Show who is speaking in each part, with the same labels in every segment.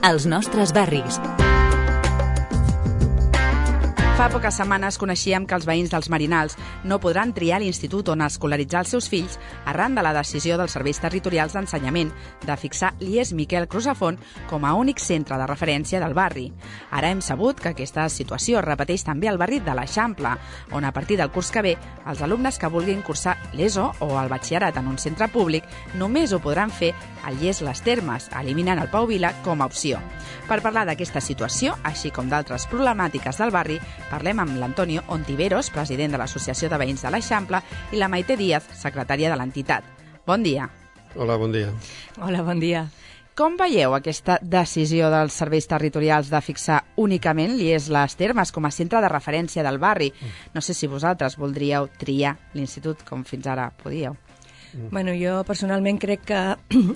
Speaker 1: Els nostres barris.
Speaker 2: Fa poques setmanes coneixíem que els veïns dels Merinals no podran triar l'institut on escolaritzar els seus fills arran de la decisió dels serveis territorials d'ensenyament de fixar l'IES Miquel Crusafont com a únic centre de referència del barri. Ara hem sabut que aquesta situació es repeteix també al barri de l'Eixample, on a partir del curs que ve els alumnes que vulguin cursar l'ESO o el batxillerat en un centre públic només ho podran fer al IES Les Termes, eliminant el Pau Vila com a opció. Per parlar d'aquesta situació, així com d'altres problemàtiques del barri, parlem amb l'Antonio Ontiveros, president de l'Associació de Veïns de l'Eixample, i la Maite Díaz, secretària de l'entitat. Bon dia.
Speaker 3: Hola, bon dia.
Speaker 4: Hola, bon dia.
Speaker 2: Com veieu aquesta decisió dels serveis territorials de fixar únicament l'IES Les Termes com a centre de referència del barri? No sé si vosaltres voldríeu triar l'institut com fins ara podíeu.
Speaker 4: Bueno, jo personalment crec que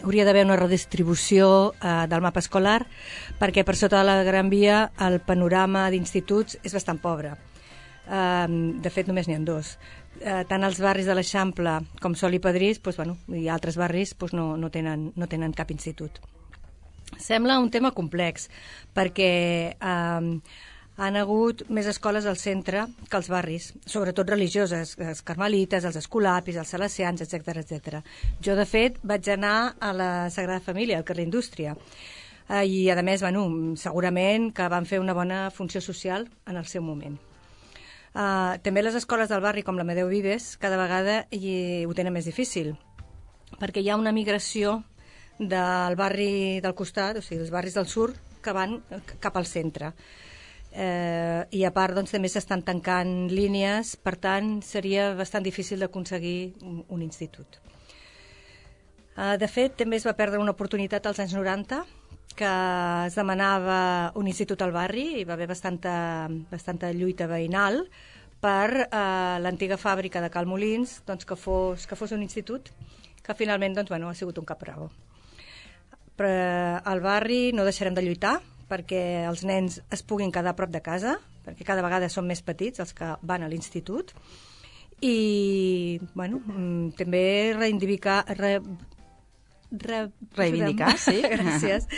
Speaker 4: hauria d'haver una redistribució del mapa escolar perquè per sota de la Gran Via el panorama d'instituts és bastant pobre. De fet, només n'hi ha dos. Tant els barris de l'Eixample com Sol i Pedrís i altres barris no tenen cap institut. Sembla un tema complex perquè han hagut més escoles al centre que als barris, sobretot religioses, els carmelites, els escolapis, els salesians, etc. Jo, de fet, vaig anar a la Sagrada Família, al carrer Indústria, i, a més, segurament que van fer una bona funció social en el seu moment. També les escoles del barri, com l'Amadeu Vives, cada vegada ho tenen més difícil, perquè hi ha una migració del barri del costat, o sigui, dels barris del sud, que van cap al centre. I a part també s'estan tancant línies, per tant seria bastant difícil d'aconseguir un institut. De fet, també es va perdre una oportunitat als anys 90 que es demanava un institut al barri i va haver bastanta lluita veïnal per l'antiga fàbrica de Cal Molins que fos un institut que finalment ha sigut un capravo. Però al barri no deixarem de lluitar perquè els nens es puguin quedar a prop de casa, perquè cada vegada són més petits els que van a l'institut, i també reivindicar,
Speaker 2: sí.
Speaker 4: Gràcies.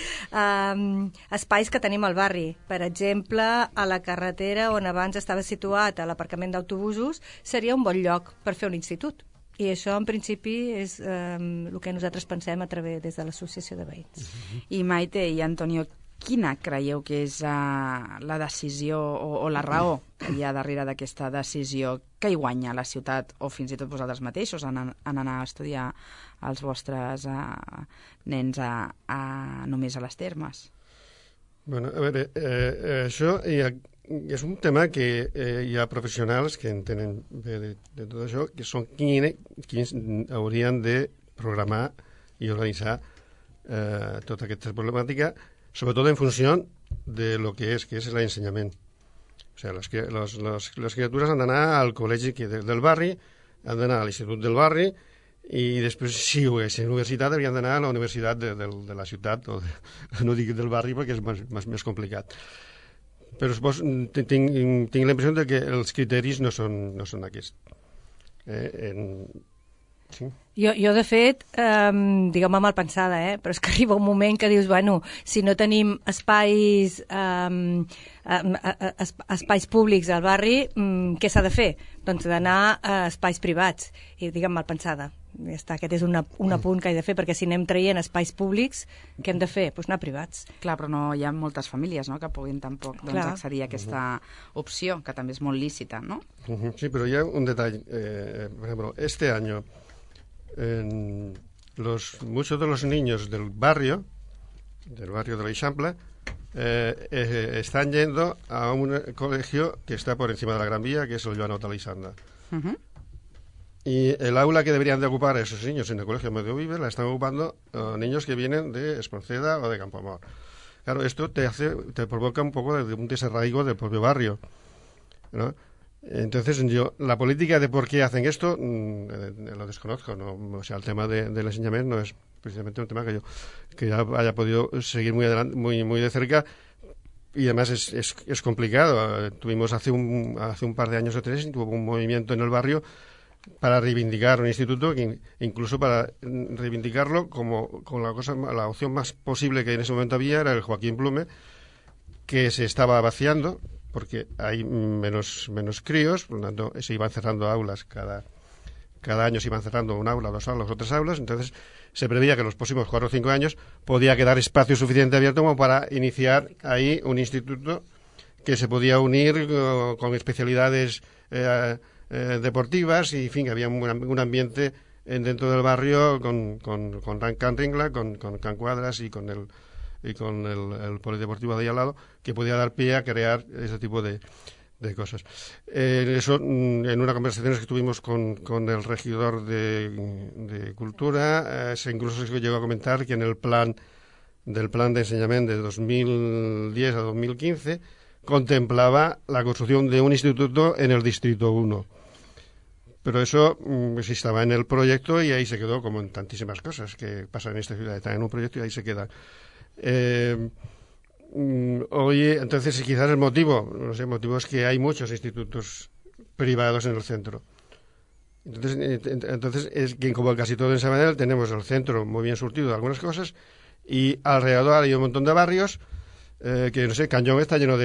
Speaker 4: Espais que tenim al barri. Per exemple, a la carretera on abans estava situat l'aparcament d'autobusos seria un bon lloc per fer un institut. I això, en principi, és el que nosaltres pensem des de l'Associació de Veïns.
Speaker 2: I Maite i Antonio, quina creieu que és la decisió o la raó que hi ha darrere d'aquesta decisió? Que hi guanya la ciutat o fins i tot vosaltres mateixos en anar a estudiar els vostres nens només a les Termes?
Speaker 3: Bueno, a veure, això és un tema que hi ha professionals que entenen bé de tot això, que són quins haurien de programar i organitzar tota aquesta problemàtica, sobretot en funció de lo que és l'ensenyament. O sigui, les criatures han d'anar al col·legi del barri, han d'anar a l'institut del barri i després, si ho és universitat, haurien d'anar a la universitat de la ciutat, no dic del barri perquè és més complicat. Però tinc la impressió de que els criteris no són aquests. Sí.
Speaker 4: Jo, de fet, digueu-me mal pensada, però és que arriba un moment que dius, si no tenim espais públics al barri, què s'ha de fer? Doncs d'anar a espais privats. I digue'm mal pensada. Ja està, aquest és un apunt que he de fer, perquè si anem traient espais públics, què hem de fer? Doncs anar a privats.
Speaker 2: Clar, però no hi ha moltes famílies que puguin tampoc accedir a aquesta opció, que també és molt lícita, no?
Speaker 3: Sí, però hi ha un detall. Por ejemplo, este año muchos de los niños del barrio de l'Eixample, están yendo a un colegio que está por encima de la Gran Vía, que es el Joan Otalizanda. Y el aula que deberían de ocupar esos niños en el colegio Amadeu Vives la están ocupando niños que vienen de Espronceda o de Campoamor. Claro, esto te provoca un poco de un desarraigo del propio barrio, ¿no? Entonces, la política de por qué hacen esto lo desconozco, ¿no? O sea, el tema del enseñamiento no es precisamente un tema que yo haya podido seguir muy de cerca, y además es complicado. Tuvimos hace un par de años o tres, tuvo un movimiento en el barrio para reivindicar un instituto, incluso para reivindicarlo como la opción más posible que en ese momento había era el Joaquín Blume, que se estaba vaciando porque hay menos críos, por lo tanto se iban cerrando aulas, cada año se iban cerrando un aula, 2 aulas o 3 aulas, entonces se preveía que en los próximos 4 o 5 años podía quedar espacio suficiente abierto como para iniciar ahí un instituto que se podía unir con especialidades deportivas y, en fin, había un ambiente dentro del barrio con Can Ringla, con Can Cuadras y con el polideportivo de ahí al lado, que podía dar pie a crear ese tipo de cosas. Eso, en una conversación que tuvimos con el regidor de Cultura, incluso se llegó a comentar que en el plan de enseñamiento de 2010 a 2015 contemplaba la construcción de un instituto en el Distrito 1. Pero eso sí estaba en el proyecto y ahí se quedó, como en tantísimas cosas que pasan en esta ciudad. Está en un proyecto y ahí se queda. Oye, entonces quizás el motivo es que hay muchos institutos privados en el centro. Entonces es que, como casi todo en Sabadell, tenemos el centro muy bien surtido de algunas cosas y alrededor hay un montón de barrios que, no sé, Cañón está lleno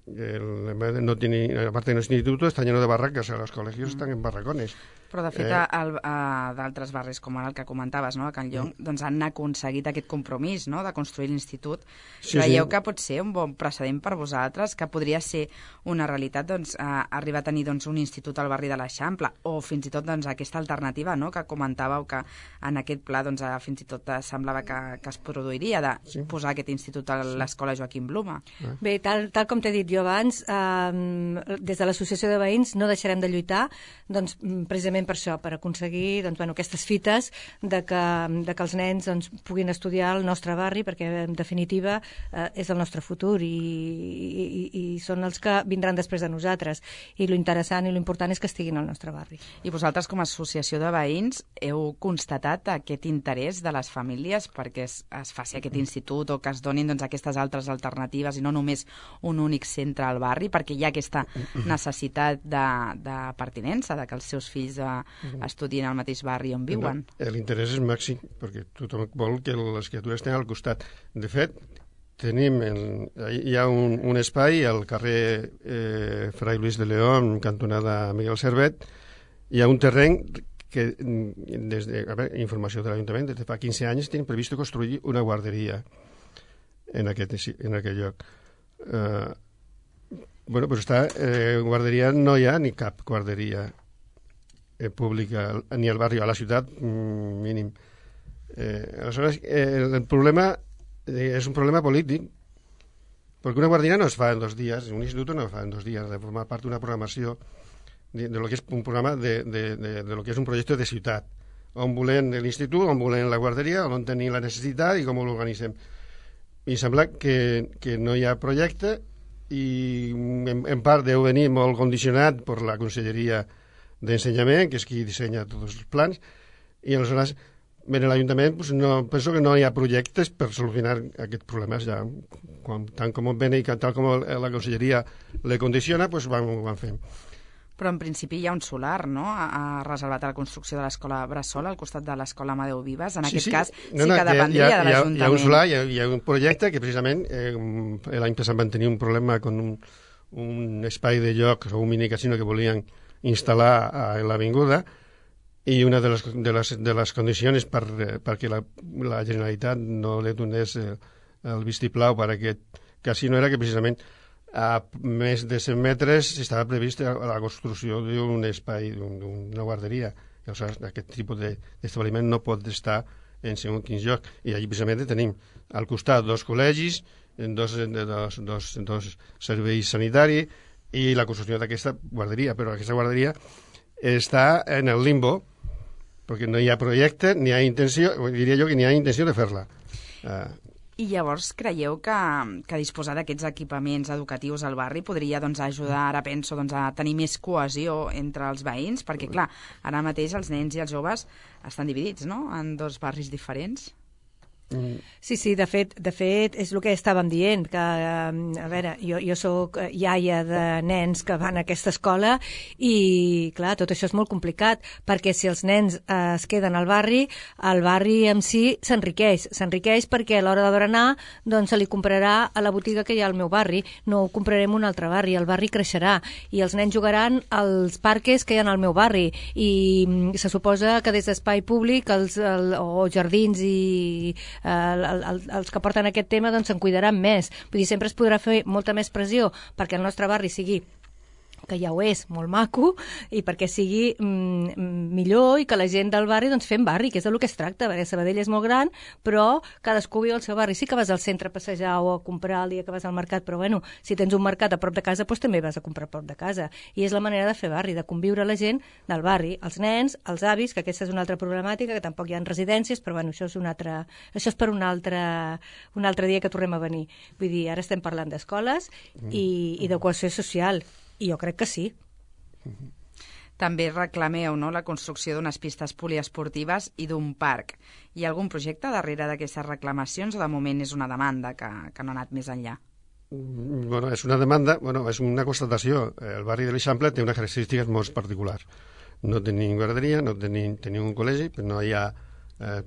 Speaker 3: no tiene, aparte del instituto, está lleno de barracas, los colegios están en barracones.
Speaker 2: Però, de fet, d'altres barris, com ara el que comentaves, no?, a Can Llong, doncs han aconseguit aquest compromís, no?, de construir l'institut. Creieu que pot ser un bon precedent per vosaltres, que podria ser una realitat, doncs, arribar a tenir, doncs, un institut al barri de l'Eixample, o fins i tot, doncs, aquesta alternativa, no?, que comentàveu que en aquest pla, doncs, fins i tot semblava que es produiria de posar aquest institut a l'escola Joaquim Blume.
Speaker 4: Bé, tal com t'he dit jo abans, des de l'Associació de Veïns no deixarem de lluitar, doncs, precisament per això, per aconseguir, doncs, bueno, aquestes fites de que els nens, doncs, puguin estudiar al nostre barri, perquè en definitiva és el nostre futur i són els que vindran després de nosaltres, i lo interessant i lo important és que estiguin al nostre barri.
Speaker 2: I vosaltres, com a associació de veïns, heu constatat aquest interès de les famílies perquè es faci aquest institut o que es donin, doncs, aquestes altres alternatives i no només un únic centre al barri, perquè hi ha aquesta necessitat de pertinença, de que els seus fills estudien al mateix barri on viuen.
Speaker 3: L'interès és màxim, perquè tothom vol que les criatures estiguin al costat. De fet, hi ha un espai al carrer Fray Luis de León, cantonada Miguel Servet, hi ha un terreny que, informació de l'Ajuntament, des de fa 15 anys tenen previst construir una guarderia en aquell lloc. Bueno, pues guarderia no hi ha ni cap guarderia pública ni al barri, a la ciutat mínim. Aleshores, el problema és un problema polític, perquè una guarderia no es fa en 2 dies, un institut no es fa en 2 dies, de formar part d'una programació de lo que és un programa de lo que és un projecte de ciutat, on volem l'institut, on volem la guarderia, on tenim la necessitat i com l'organitzem. I sembla que no hi ha projecte i en part deu venir molt condicionat per la Conselleria d'Ensenyament, que és qui dissenya tots els plans, i aleshores en l'Ajuntament penso que no hi ha projectes per solucionar aquests problemes. Ja, tant com ven i tal com la Conselleria le condiciona, doncs van fent.
Speaker 2: Però en principi hi ha un solar, no?, reservat a la construcció de l'escola Bressol, al costat de l'escola Amadeu Vives. En aquest cas sí que dependria de l'Ajuntament.
Speaker 3: Hi ha un solar, hi ha un projecte que precisament l'any passat van tenir un problema amb un espai de lloc o un minicasino que volien instal·lar a l'avinguda, i una de les condicions perquè la Generalitat no li donés el vistiplau per aquest casino era que precisament a més de 100 metres estava previst la construcció d'un espai, d'una guarderia. I aleshores aquest tipus d'establiment no pot estar en segons quins llocs. I allà precisament tenim al costat 2 col·legis, 2 serveis sanitaris i la construcció d'aquesta guarderia, però aquesta guarderia està en el limbo perquè no hi ha projecte, ni hi ha intenció, diria jo que ni hi ha intenció de fer-la.
Speaker 2: I llavors creieu que disposar d'aquests equipaments educatius al barri podria, doncs, ajudar, ara penso, doncs, a tenir més cohesió entre els veïns? Perquè, clar, ara mateix els nens i els joves estan dividits, no?, en 2 barris diferents.
Speaker 4: Sí, de fet, és el que estàvem dient, que, a veure, jo soc iaia de nens que van a aquesta escola i, clar, tot això és molt complicat, perquè si els nens es queden al barri, el barri en si s'enriqueix perquè a l'hora de berenar doncs se li comprarà a la botiga que hi ha al meu barri, no ho comprarem a un altre barri, el barri creixerà i els nens jugaran als parques que hi ha al meu barri i se suposa que des d'espai públic o jardins i els que porten aquest tema doncs se'n cuidaran més. Vull dir, sempre es podrà fer molta més pressió perquè el nostre barri sigui, que ja ho és, molt maco, i perquè sigui millor i que la gent del barri doncs fem barri, que és del que es tracta, perquè Sabadell és molt gran, però cadascú viu al seu barri. Sí que vas al centre a passejar o a comprar el dia que vas al mercat, però bueno, si tens un mercat a prop de casa, doncs també vas a comprar a prop de casa. I és la manera de fer barri, de conviure la gent del barri, els nens, els avis, que aquesta és una altra problemàtica, que tampoc hi ha residències, però bueno, això és per un altre dia que tornem a venir. Vull dir, ara estem parlant d'escoles i de cohesió social. I jo crec que sí.
Speaker 2: També reclameu, no?, la construcció d'unes pistes poliesportives i d'un parc. Hi ha algun projecte darrere d'aquestes reclamacions o de moment és una demanda que no ha anat més enllà?
Speaker 3: Bueno, és una demanda, és una constatació. El barri de l'Eixample té unes característiques molt particulars. No tenim guarderia, tenim un col·legi, però no hi ha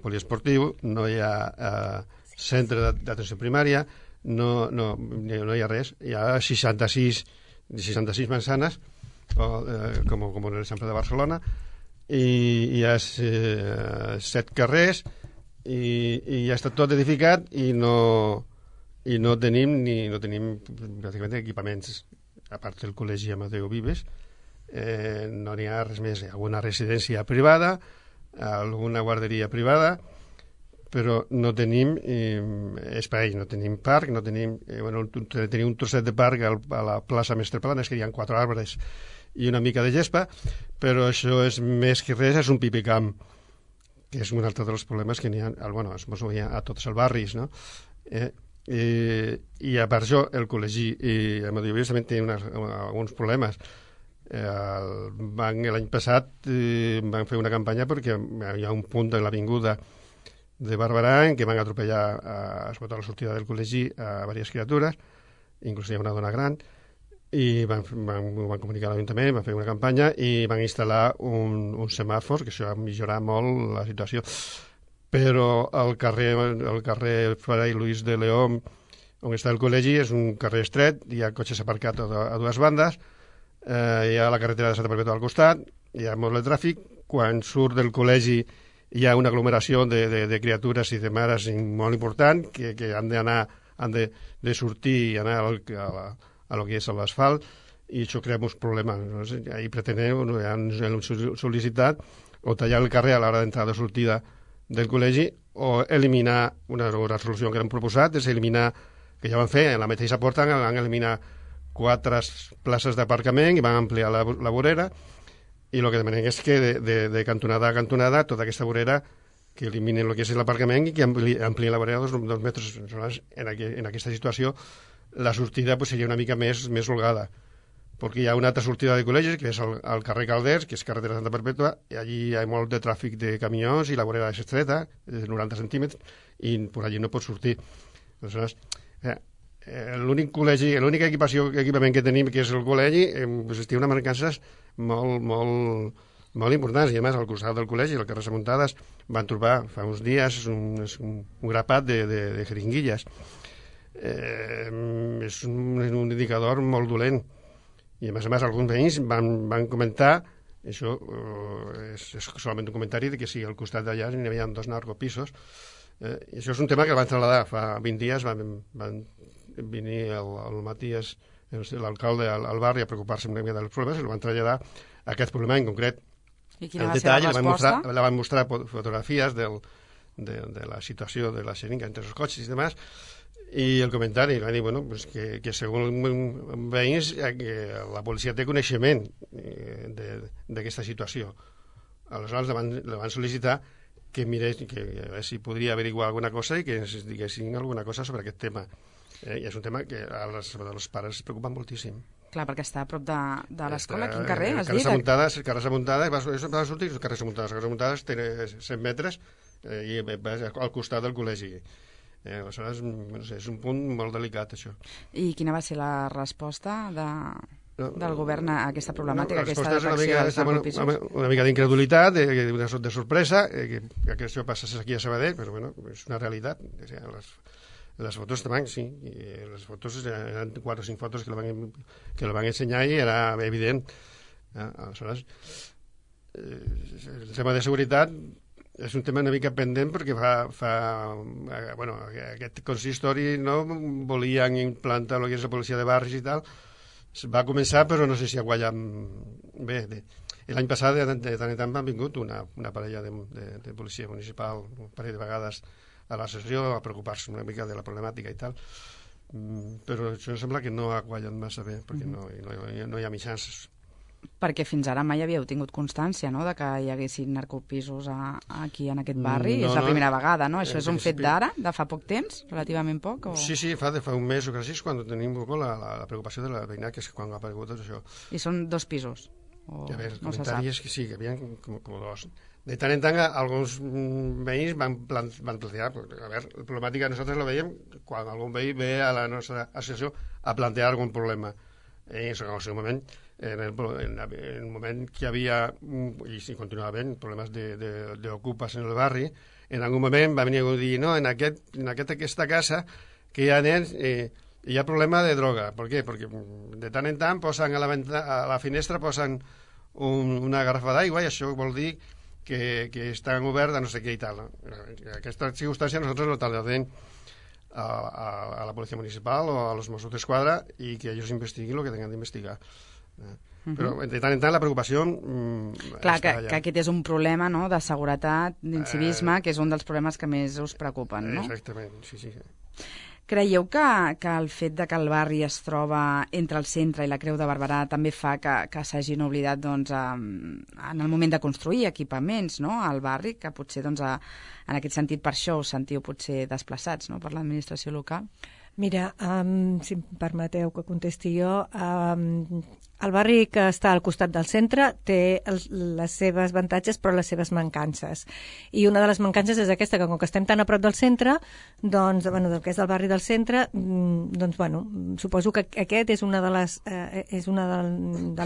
Speaker 3: poliesportiu, no hi ha centre d'atenció primària, no hi ha res. Hi ha 66 manzanas, com en l'exemple de Barcelona, i hi ha 7 carrers i ja està tot edificat i no tenim pràcticament equipaments, a part del col·legi Amadeu Vives. No n'hi ha res més. Hi ha alguna residència privada, alguna guarderia privada, però no tenim espai, no tenim parc, tenim un trosset de parc a la plaça Mestre Planes, que hi ha 4 arbres i una mica de gespa, però això és més que res, és un pipicamp, que és un altre dels problemes que n'hi ha, a tots els barris, no? I a part això, el col·legi Amadeu Vives també té alguns problemes. L'any passat van fer una campanya perquè hi ha un punt de l'avinguda de Barberà en què van atropellar a la sortida del col·legi a diverses criatures, inclús hi ha una dona gran, i van comunicar a l'Ajuntament, van fer una campanya i van instal·lar un semàfor, que això va millorar molt la situació. Però el carrer Fray Luis de León, on està el col·legi, és un carrer estret, hi ha cotxes aparcats a dues bandes, hi ha la carretera de Santa Perpètua al costat, hi ha molt de tràfic. Quan surt del col·legi hi ha una aglomeració de criatures i de mares molt important que han de sortir i anar a lo que és l'asfalt, i això crea molts problemes. Ahir pretenem, han sol·licitat o tallar el carrer a l'hora d'entrada o sortida del col·legi o eliminar una resolució que han proposat, és eliminar, que ja van fer, en la mateixa porta van eliminar 4 places d'aparcament i van ampliar la vorera. I el que demanem és que de cantonada a cantonada tota aquesta vorera que eliminen el que és l'aparcament i que amplien la vorera 2 metres. En aquesta situació la sortida seria una mica més holgada, perquè hi ha una altra sortida de col·legis, que és al carrer Calders, que és carretera Santa Perpètua, i allí hi ha molt de tràfic de camions i la vorera és estreta, de 90 centímetres, i per allí no pot sortir. Aleshores, l'únic equipament que tenim, que és el col·legi, té unes mancances molt importants, i a més al costat del col·legi, al carrer Samuntades, van trobar fa uns dies un grapat de jeringuilles. És un indicador molt dolent, i a més alguns veïns van comentar, això és solament un comentari, de que si al costat d'allà n'hi havia 2 narcopisos. I això és un tema que el van trasladar fa 20 dies, van venir el Matías, l'alcalde, al barri a preocupar-se una mica dels problemes, i el van traslladar a aquest problema en concret.
Speaker 2: I quina va ser la resposta?
Speaker 3: La van mostrar fotografies de la situació de la xeringa entre els cotxes i demás, i el comentari va dir que segons veïns que la policia té coneixement d'aquesta situació. Aleshores la van sol·licitar que mirés, que a veure si podria averiguar alguna cosa i que ens diguessin alguna cosa sobre aquest tema. I és un tema que als pares es preocupa moltíssim.
Speaker 2: Clar, perquè està a prop de l'escola. Quin carrer, has dit?
Speaker 3: El carrer Samuntades va sortir, el carrer Samuntades té 100 metres i al costat del col·legi. Aleshores, no sé, és un punt molt delicat, això.
Speaker 2: I quina va ser la resposta del govern a aquesta problemàtica, aquesta
Speaker 3: detecció
Speaker 2: dels narcopisos?
Speaker 3: Una mica d'incredulitat, de sorpresa, que això passés aquí a Sabadell, però bueno, és una realitat. Les fotos també, sí, les fotos eren 4 o 5 fotos que la van ensenyar i era evident. Aleshores, el tema de seguretat és un tema una mica pendent perquè bueno, aquest consistori no volien implantar el que és la policia de barris i tal. Va començar, però no sé si ha guanyat bé. L'any passat, de tant en tant, han vingut una parella de policia municipal, un parell de vegades a la sessió a preocupar-se una mica de la problemàtica i tal. Però això sembla que no ha guanyat massa bé, perquè no hi ha mitjans.
Speaker 2: Perquè fins ara mai havíeu tingut constància, no?, de que hi haguessin narcopisos aquí en aquest barri. És la primera vegada, no? Això és un fet d'ara, de fa poc temps, relativament poc?
Speaker 3: Sí, fa un mes o quasi, quan tenim la preocupació de la veïnat, que és quan ha aparegut tot això.
Speaker 2: I són 2 pisos?
Speaker 3: A veure, el comentari és que sí, que hi havia com 2. De tant en tant, alguns veïns van plantejar... A veure, la problemàtica nosaltres la veiem quan algun veí ve a la nostra associació a plantear algun problema. En el seu moment, en el moment que hi havia, i si continuava havent, problemes d'ocupes en el barri, en algun moment va venir a dir, no, en aquesta casa que hi ha nens, hi ha problema de droga. Per què? Perquè de tant en tant posen a la finestra posen una garrafa d'aigua i això vol dir que estan oberts a no sé què i tal. Aquesta circumstància nosaltres no trasladem a la Policia Municipal o a los Mossos d'Esquadra i que ells investiguin el que tengan d'investigar. Però de tant en tant la preocupació
Speaker 2: clar, que aquest és un problema, no?, de seguretat, d'incivisme, que és un dels problemes que més us preocupen, no?
Speaker 3: Exactament, sí.
Speaker 2: Creieu que el fet de que el barri es troba entre el centre i la Creu de Barberà també fa que s'hagin oblidat, doncs, en el moment de construir equipaments, no?, al barri, que potser, doncs, en aquest sentit, per això us sentiu potser desplaçats, no?, per l'administració local?
Speaker 4: Mira, si em permeteu que contesti jo, el barri que està al costat del centre té les seves avantatges però les seves mancances. I una de les mancances és aquesta, que com que estem tan a prop del centre, doncs, bueno, del que és del barri del centre, doncs, bueno, suposo que aquest és una de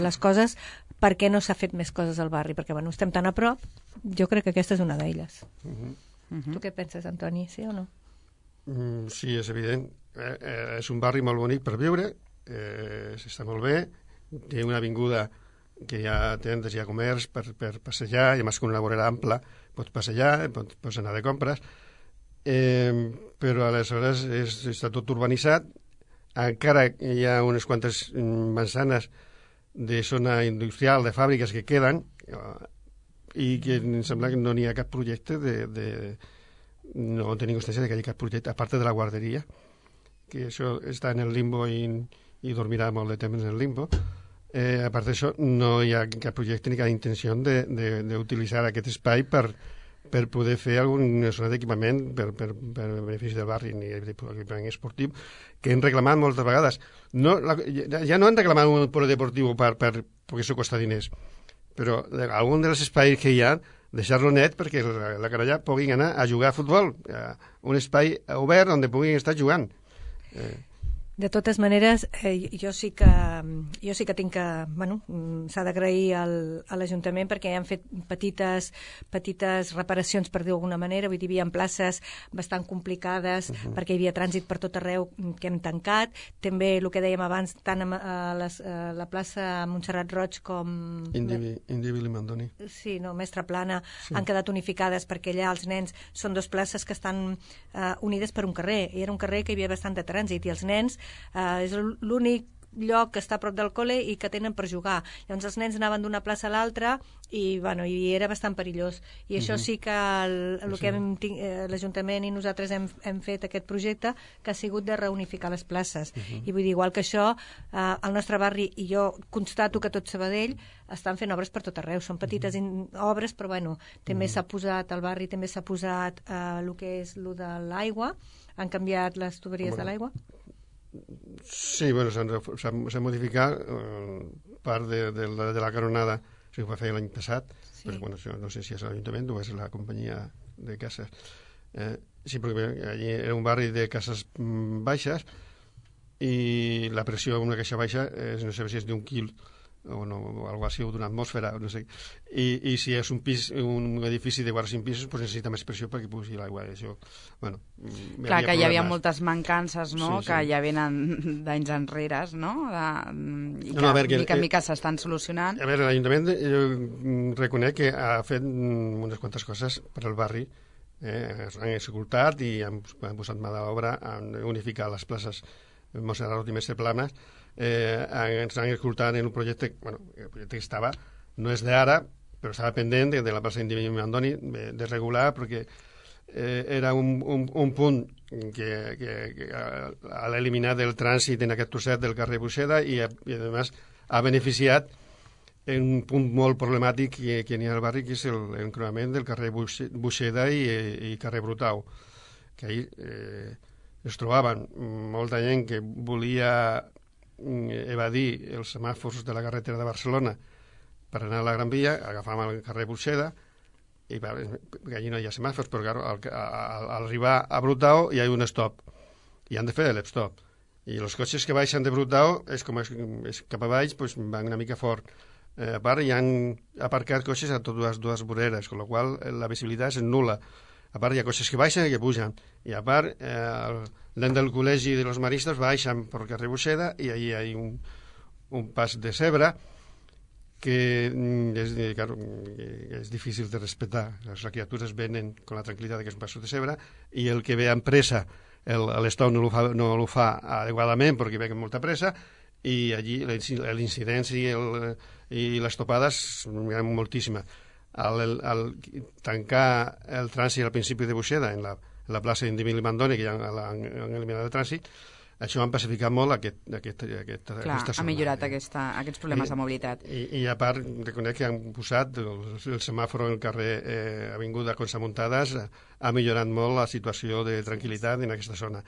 Speaker 4: les coses per què no s'ha fet més coses al barri, perquè, bueno, estem tan a prop, jo crec que aquesta és una d'elles. Tu què penses, Antoni, sí o no?
Speaker 3: Sí, és evident. És un barri molt bonic per viure, s'està molt bé, té una avinguda que hi ha tendes, hi ha comerç per passejar, i a més que una vorera ampla pots passejar, pots anar de compres, però aleshores està tot urbanitzat, encara hi ha unes quantes manzanes de zona industrial, de fàbriques que queden, i que em sembla que no n'hi ha cap projecte no tenim constància que hi ha cap projecte, a part de la guarderia, que això està en el limbo i dormirà molt de temps en el limbo. A part d'això, no hi ha cap projecte ni cap intenció d'utilitzar aquest espai per poder fer alguna zona d'equipament per benefici del barri, ni equipament esportiu, que hem reclamat moltes vegades. Ja no han reclamat un polideportiu perquè això costa diners, però algun dels espais que hi ha, deixar-lo net perquè la canalla puguin anar a jugar a futbol, un espai obert on puguin estar jugant.
Speaker 4: De totes maneres, jo sí que tinc que... Bueno, s'ha d'agrair a l'Ajuntament perquè han fet petites reparacions, per dir d'alguna manera. Vull dir, hi havia places bastant complicades perquè hi havia trànsit per tot arreu que hem tancat. També, el que dèiem abans, tant a la plaça Montserrat Roig com...
Speaker 3: Indivi Limandoni.
Speaker 4: Sí, no, Mestre Plana, han quedat unificades perquè allà els nens són 2 places que estan unides per un carrer. I era un carrer que hi havia bastant de trànsit i els nens és l'únic lloc que està a prop del col·le i que tenen per jugar. Llavors els nens anaven d'una plaça a l'altra i era bastant perillós. I això sí que l'Ajuntament i nosaltres hem fet aquest projecte que ha sigut de reunificar les places. I vull dir, igual que això, al nostre barri, i jo constato que tot Sabadell estan fent obres per tot arreu. Són petites obres, però bueno, també s'ha posat al barri, també s'ha posat el que és el de l'aigua, han canviat les tuberies de l'aigua.
Speaker 3: Sí, bueno, s'ha modificat part de la canonada, això ho va fer l'any passat, però bueno, no sé si és l'Ajuntament o és la companyia de cases. Sí, perquè allí era un barri de cases baixes i la pressió en una caixa baixa no sé si és d'un quil o no, o algo així, o d'una atmosfera, no sé. I si és un edifici de 4 o 5 pisos, pues necessita més pressió perquè pugi l'aigua. Això, bueno,
Speaker 2: clar, que hi havia moltes mancances, no?, sí, sí, que ja venen d'anys enrere, no?, i que mica en mica s'estan solucionant.
Speaker 3: A veure, l'Ajuntament reconec que ha fet unes quantes coses per al barri, s'han executat i han posat mà d'obra, han unificat les places Montserrat i Mestre Planas, ens han escoltat en un projecte, bueno, el projecte que estava, no és d'ara, però estava pendent de la plaça Indimi Mandoni de regular, perquè era un punt que ha eliminat el trànsit en aquest trosset del carrer Buixeda i a més ha beneficiat en un punt molt problemàtic que n'hi ha al barri, que és l'encreuament del carrer Buixeda i carrer Brutau, que ahir es trobaven molta gent que volia evadir els semàfors de la carretera de Barcelona per anar a la Gran Via, agafàvem el carrer Buixeda i perquè allí no hi ha semàfors, però claro, al arribar a Brutau hi ha un stop i han de fer l'stop i els cotxes que baixen de Brutau és cap a baix, pues, van una mica fort. A part hi han aparcat cotxes a totes dues voreres, amb la qual la visibilitat és nul·la. A part hi ha cotxes que baixen i que pugen, i a part l'en del col·legi de los maristes baixen per carrer Buixeda i ahí hi ha un pas de zebra que claro, és difícil de respetar. Les criatures venen amb la tranquil·litat que és un pas de zebra i el que ve amb pressa l'estop no ho fa adequadament perquè ve amb molta pressa i allí l'incidència i les topades eren moltíssimes. Al tancar el trànsit al principi de Buixeda en la plaça d'Indimi Mandoni, que ja han eliminat el trànsit, això han pacificat molt aquesta zona.
Speaker 2: Ha millorat aquests problemes de mobilitat.
Speaker 3: I a part, reconec que han posat el semàfor en el carrer Avinguda Consamuntades, ha millorat molt la situació de tranquil·litat en aquesta zona.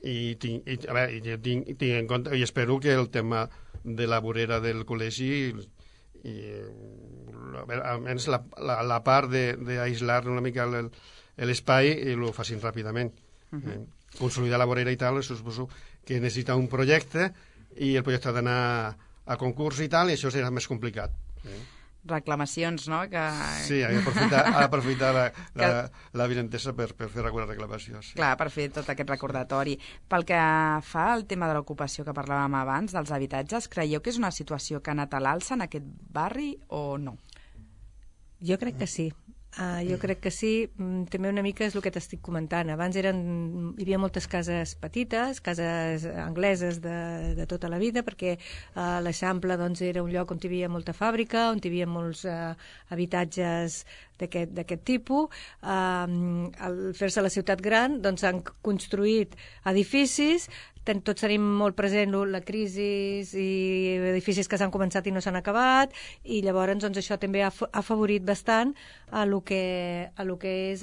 Speaker 3: I tinc en compte, i espero que el tema de la vorera del col·legi almenys la part d'aïslar una mica l'espai ho facin ràpidament. Consolidar la vorera i tal, suposo que necessita un projecte i el projecte ha d'anar a concurs i tal, i això serà més complicat.
Speaker 2: Reclamacions, no?
Speaker 3: Sí, ha d'aprofitar la vinentesa per fer alguna reclamació. Sí.
Speaker 2: Clar, per fer tot aquest recordatori. Pel que fa al tema de l'ocupació que parlàvem abans, dels habitatges, creieu que és una situació que ha anat a l'alça en aquest barri o no?
Speaker 4: Jo crec que sí. Jo crec que sí, també una mica és el que t'estic comentant. Abans hi havia moltes cases petites, cases angleses de tota la vida, perquè l'Eixample doncs, era un lloc on hi havia molta fàbrica, on hi havia molts habitatges d'aquest tipus. Al fer-se la ciutat gran doncs, han construït edificis. Tots tenim molt present la crisi i edificis que s'han començat i no s'han acabat, i llavors doncs, això també ha afavorit bastant a lo que és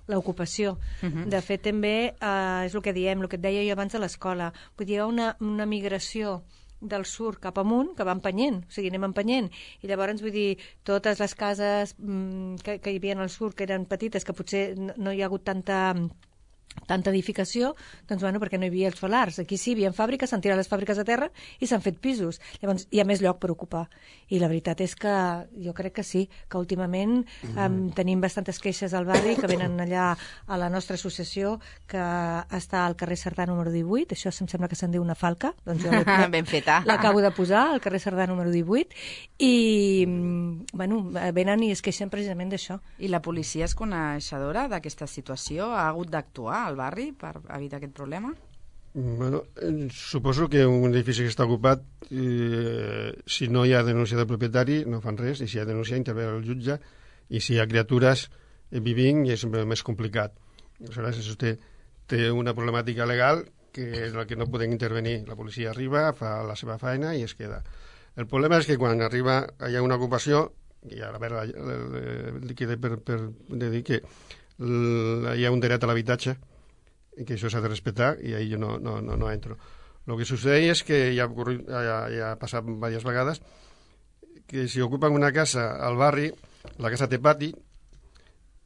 Speaker 4: l'ocupació. De fet, també és el que diem, el que et deia jo abans de l'escola. Vull dir, hi ha una migració del sud cap amunt, que va empenyent, o sigui, anem empenyent, i llavors, vull dir, totes les cases que hi havia al sud, que eren petites, que potser no hi ha hagut tanta edificació, doncs bueno, perquè no hi havia els solars. Aquí sí, hi havia fàbriques, s'han tirat les fàbriques a terra i s'han fet pisos. Llavors hi ha més lloc per ocupar. I la veritat és que jo crec que sí, que últimament tenim bastantes queixes al barri que venen allà a la nostra associació, que està al carrer Cerdà número 18, això em sembla que se'n diu una falca, doncs jo
Speaker 2: ben feta.
Speaker 4: L'acabo de posar, al carrer Cerdà número 18, i bueno, venen i es queixen precisament d'això.
Speaker 2: I la policia és coneixedora d'aquesta situació? Ha hagut d'actuar al barri per evitar aquest problema?
Speaker 3: Bueno, suposo que un edifici que està ocupat, si no hi ha denúncia del propietari, no fan res, i si hi ha denúncia intervé el jutge, i si hi ha criatures vivint és més complicat. Aleshores, això té una problemàtica legal que és la que no podem intervenir. La policia arriba, fa la seva feina i es queda. El problema és que quan arriba hi ha una ocupació, i a veure, queda per dir que hi ha un dret a l'habitatge, i que això s'ha de respectar, i ahí jo no entro. El que succeeix és que ja ha passat diverses vegades que si ocupen una casa al barri, la casa té pati,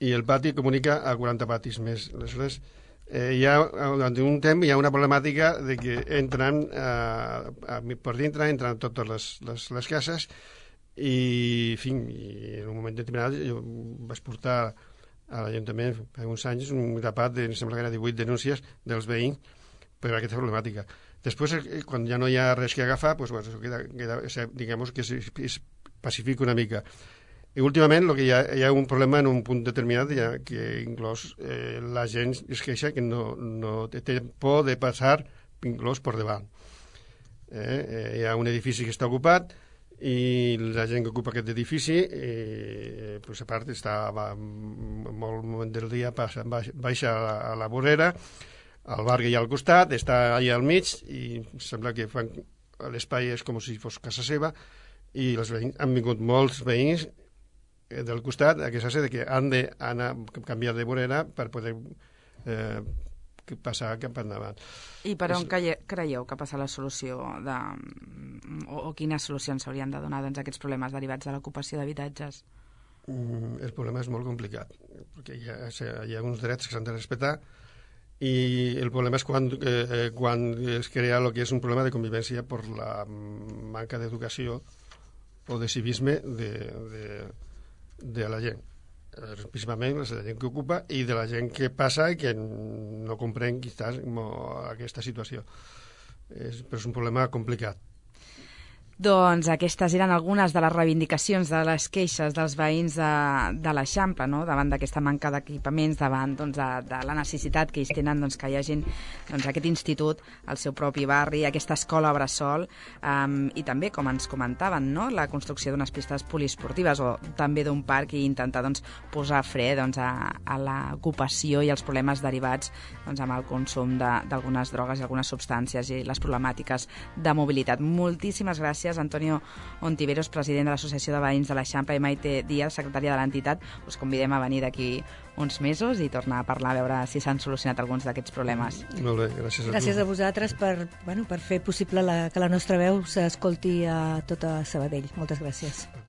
Speaker 3: i el pati comunica a 40 patis més. Aleshores, durant un temps hi ha una problemàtica de que entren per dintre, entren totes les cases i en un moment determinat jo vaig portar a l'Ajuntament fa uns anys un grapat de, em sembla que era 18 denúncies dels veïns per aquesta problemàtica. Després, quan ja no hi ha res que agafar, doncs, bueno, queda, diguem que es pacifica una mica. I últimament hi ha un problema en un punt determinat que inclús la gent es queixa que no té por de passar inclús per davant. Hi ha un edifici que està ocupat i la gent que ocupa aquest edifici a part està molt moment del dia baixa a la vorera, el bar que hi ha al costat està allà al mig i sembla que l'espai és com si fos casa seva i han vingut molts veïns del costat a queixar-se que han d'anar a canviar de vorera per poder passar cap endavant.
Speaker 2: I per on creieu que passa la solució o quines solucions s'haurien de donar a aquests problemes derivats de l'ocupació d'habitatges?
Speaker 3: El problema és molt complicat perquè hi ha uns drets que s'han de respectar i el problema és quan es crea el que és un problema de convivència per la manca d'educació o de civisme de la gent, principalment de la gent que ocupa i de la gent que passa i que no comprèn quizás aquesta situació. Però és un problema complicat.
Speaker 2: Doncs aquestes eren algunes de les reivindicacions de les queixes dels veïns de l'Eixample, no? Davant d'aquesta manca d'equipaments, davant de la necessitat que ells tenen que hi hagi aquest institut al seu propi barri, aquesta escola bressol i també, com ens comentaven, no? La construcció d'unes pistes poliesportives o també d'un parc i intentar posar fre a l'ocupació i els problemes derivats amb el consum d'algunes drogues i algunes substàncies i les problemàtiques de mobilitat. Moltíssimes gràcies, Antonio Ontiveros, president de l'Associació de Veïns de l'Eixample, i Maite Díaz, secretària de l'entitat. Us convidem a venir d'aquí uns mesos i tornar a parlar, a veure si s'han solucionat alguns d'aquests problemes.
Speaker 3: Molt bé, gràcies a tu.
Speaker 4: Gràcies a vosaltres per fer possible que la nostra veu s'escolti a tota Sabadell. Moltes gràcies.